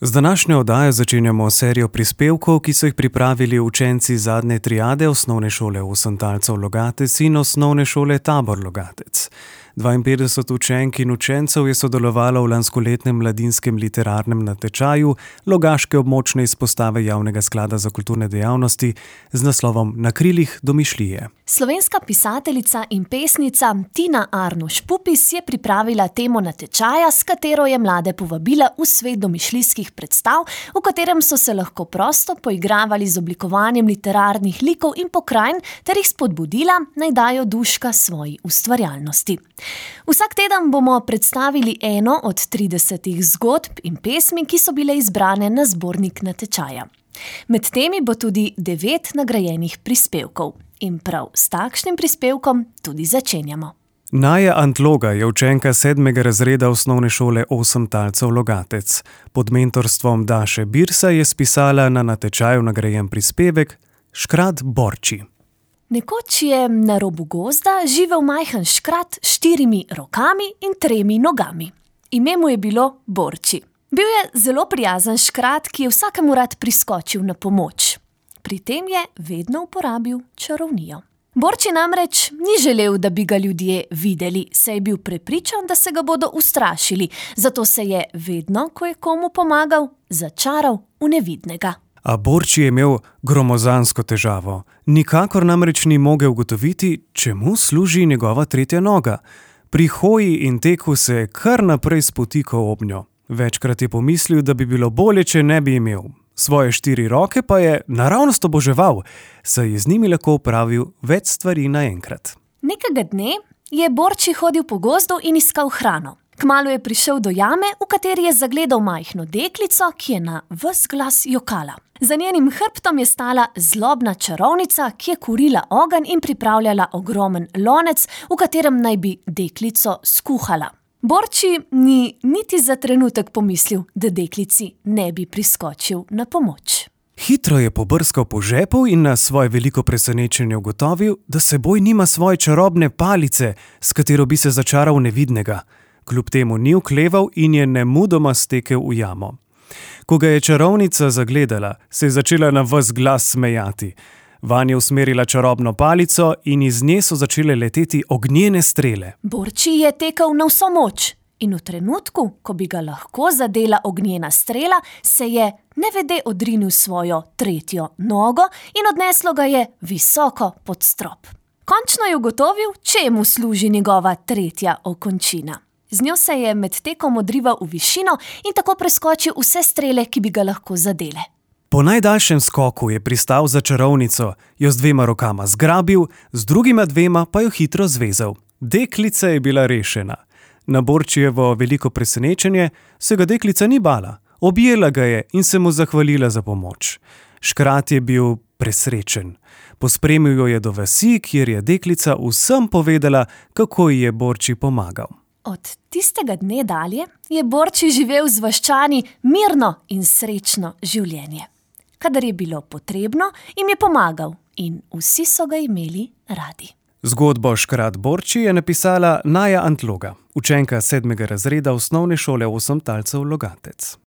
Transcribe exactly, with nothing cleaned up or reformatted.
Z današnjo oddajo začenjamo serijo prispevkov, ki so jih pripravili učenci zadnje triade Osnovne šole Osemtalcev Logatec in Osnovne šole Tabor Logatec. dvainpetdeset učenk in učencev je sodelovalo v lanskoletnem mladinskem literarnem natečaju Logaške območne izpostave Javnega sklada za kulturne dejavnosti z naslovom Na krilih domišljije. Slovenska pisateljica in pesnica Tina Arnuš Pupis je pripravila temo natečaja, s katero je mlade povabila v svet domišljijskih predstav, v katerem so se lahko prosto poigravali z oblikovanjem literarnih likov in pokrajin ter jih spodbudila, naj dajo duška svoji ustvarjalnosti. Vsak teden bomo predstavili eno od tridesetih zgodb in pesmi, ki so bile izbrane na zbornik natečaja. Med temi bo tudi devet nagrajenih prispevkov. In prav s takšnim prispevkom tudi začenjamo. Naja Antloga je učenka sedmega razreda Osnovne šole Osemtalcev Logatec. Pod mentorstvom Daše Birsa je spisala na natečaju nagrajen prispevek Škrat Borči. Nekoč je na robu gozda živel majhen škrat s štirimi rokami in tremi nogami. Ime mu je bilo Borči. Bil je zelo prijazen škrat, ki je vsakemu rad priskočil na pomoč. Pri tem je vedno uporabil čarovnijo. Borči namreč ni želel, da bi ga ljudje videli, saj je bil prepričan, da se ga bodo ustrašili, zato se je vedno, ko je komu pomagal, začaral v nevidnega. A Borči je imel gromozansko težavo. Nikakor namreč ni mogel ugotoviti, čemu služi njegova tretja noga. Pri hoji in teku se je kar naprej spotikal ob njo. Večkrat je pomislil, da bi bilo bolje, če ne bi imel. Svoje štiri roke pa je naravnost oboževal, saj je z njimi lahko opravil več stvari naenkrat. Nekega dne je Borči hodil po gozdu in iskal hrano. Kmalu je prišel do jame, v kateri je zagledal majhno deklico, ki je na ves glas jokala. Za njenim hrbtom je stala zlobna čarovnica, ki je kurila ogenj in pripravljala ogromen lonec, v katerem naj bi deklico skuhala. Borči ni niti za trenutek pomislil, da deklici ne bi priskočil na pomoč. Hitro je pobrskal po žepu in na svoje veliko presenečenje ugotovil, da seboj nima svoje čarobne palice, s katero bi se začaral nevidnega. Kljub temu ni okleval in je nemudoma stekel v jamo. Ko ga je čarovnica zagledala, se je začela na ves glas smejati. Vanj je usmerila čarobno palico in iz nje so začele leteti ognjene strele. Borči je tekel na vso moč in v trenutku, ko bi ga lahko zadela ognjena strela, se je nevede odrinil svojo tretjo nogo in odneslo ga je visoko pod strop. Končno je ugotovil, čemu služi njegova tretja okončina. Z njo se je med tekom odrival v višino in tako preskočil vse strele, ki bi ga lahko zadele. Po najdaljšem skoku je pristal za čarovnico, jo z dvema rokama zgrabil, z drugima dvema pa jo hitro zvezal. Deklica je bila rešena. Na Borčijevo veliko presenečenje se ga deklica ni bala. Objela ga je in se mu zahvalila za pomoč. Škrat je bil presrečen. Pospremil jo je do vasi, kjer je deklica vsem povedala, kako ji je Borči pomagal. Od tistega dne dalje je Borči živel z vaščani mirno in srečno življenje. Kadar je bilo potrebno, jim je pomagal in vsi so ga imeli radi. Zgodbo Škrat Borči je napisala Naja Antloga, učenka sedmega razreda Osnovne šole Osemtalcev Logatec.